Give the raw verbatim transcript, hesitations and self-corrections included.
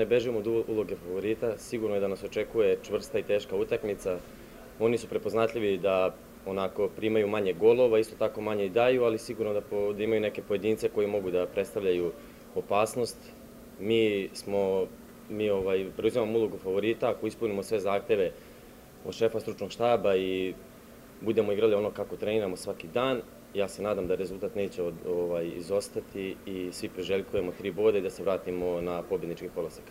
Ne bežimo od uloge favorita, sigurno je da nas očekuje čvrsta i teška utakmica. Oni su prepoznatljivi da onako primaju manje golova, isto tako manje i daju, ali sigurno da, po, da imaju neke pojedince koji mogu da predstavljaju opasnost. Mi smo, mi ovaj, preuzimamo ulogu favorita, ako ispunimo sve zahteve od šefa stručnog štaba i budemo igrali ono kako treniramo svaki dan, ja se nadam da rezultat neće od, ovaj, izostati i svi priželjkujemo tri boda i da se vratimo na pobjednički kolosek.